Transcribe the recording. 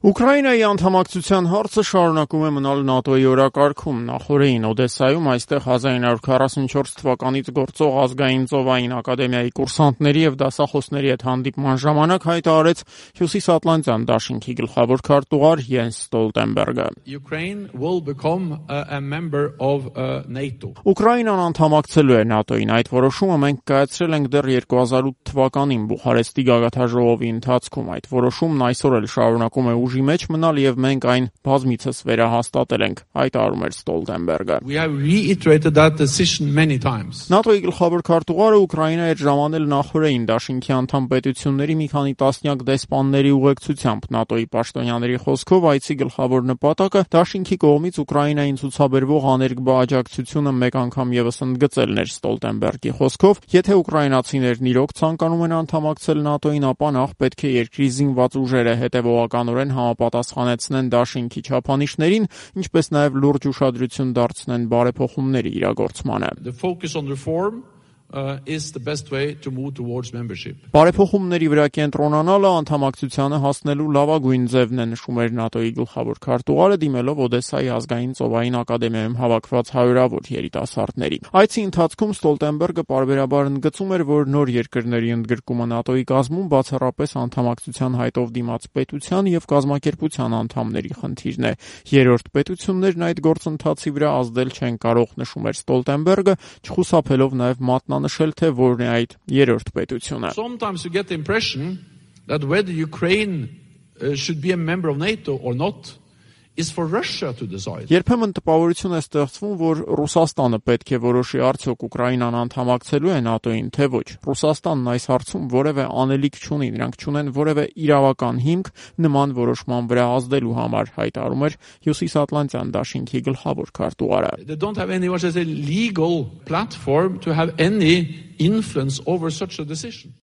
Ուկրաինայի անդամակցության հարցը շարունակում է մնալ ՆԱՏՕ-ի օրակարգում։ Նախորդին Օդեսայում այստեղ 1944 թվականից գործող ազգային ծովային ակադեմիայի կուրսանտների եւ դասախոսների հետ հանդիպման ժամանակ հայտարարեց Հյուսիսատլանտյան դաշինքի գլխավոր քարտուղար Յենս Ստոլտենբերգը։ Ուկրաինան անդամակցելու է ՆԱՏՕ-ին։ Այդ որոշումը մենք կայացրել ենք դեռ 2008 թվականին Բուխարեստի գագաթնաժողովի ընթացքում։ Այդ որոշումն այսօր էլ շարունակում է ուժի մեջ մնալ եւ մենք այն բազմիցս վերահաստատել ենք, հայտարարում էր Ստոլտենբերգը։ ՆԱՏՕ-ի գլխավոր քարտուղարը Ուկրաինա էր ժամանել նախորդին դաշինքի անդամ պետությունների մի քանի տասնյակ դեսպանների ուղեկցությամբ։ ՆԱՏՕ-ի պաշտոնյաների խոսքով այցի գլխավոր նպատակը դաշինքի կողմից Ուկրաինային ցուցաբերվող աներկբա աջակցությունը մեկ անգամ եւս ընդգծելն էր։ Ստոլտենբերգի խոսքով, եթե ուկրաինացիներն իրոք ցանկանում են անդամակցել ՆԱՏՕ-ին, ապա նախ պետք է երկրի զինված ուժերը հետևողականորեն համապատասխանեցնեն դաշինքի չափանիշներին, ինչպես նաև լուրջ ուշադրություն դարձնեն բարեփոխումների իրագործմանը։ Բարեփոխումների վրա կենտրոնանալը անդամակցությանը հասնելու լավագույն ձևն է, նշում էր ՆԱՏՕ-ի գլխավոր քարտուղարը, դիմելով Օդեսայի ազգային ծովային ակադեմիայում հավաքված հարյուրավոր երիտասարդների։ Այցի ընթացքում Ստոլտենբերգը պարբերաբար ընդգծում էր, որ նոր երկրների ընդգրկումը ՆԱՏՕ-ի կազմում բացառապես անդամակցության հայտով դիմաց պետության եւ կազմակերպության անդամների խնդիրն է։ Երրորդ պետություններն այդ գործընթացի վրա ազդել չեն կարող, նշում էր Ստոլտենբերգը, չխուսափելով նաև մատնանշել, թե որն է այդ երրորդ պետությունը։ Երբեմն տպավորություն է ստեղծվում, որ Ռուսաստանը պետք է որոշի արդյոք Ուկրաինան անդամակցելու է ՆԱՏՕ-ին, թե ոչ։ Ռուսաստանն այս հարցում որևէ անելիք չունի, նրանք չունեն որևէ իրավական հիմք նման որոշման վրա ազդելու համար, հայտարարում էր Հյուսիսատլանտյան դաշինքի գլխավոր քարտուղարը։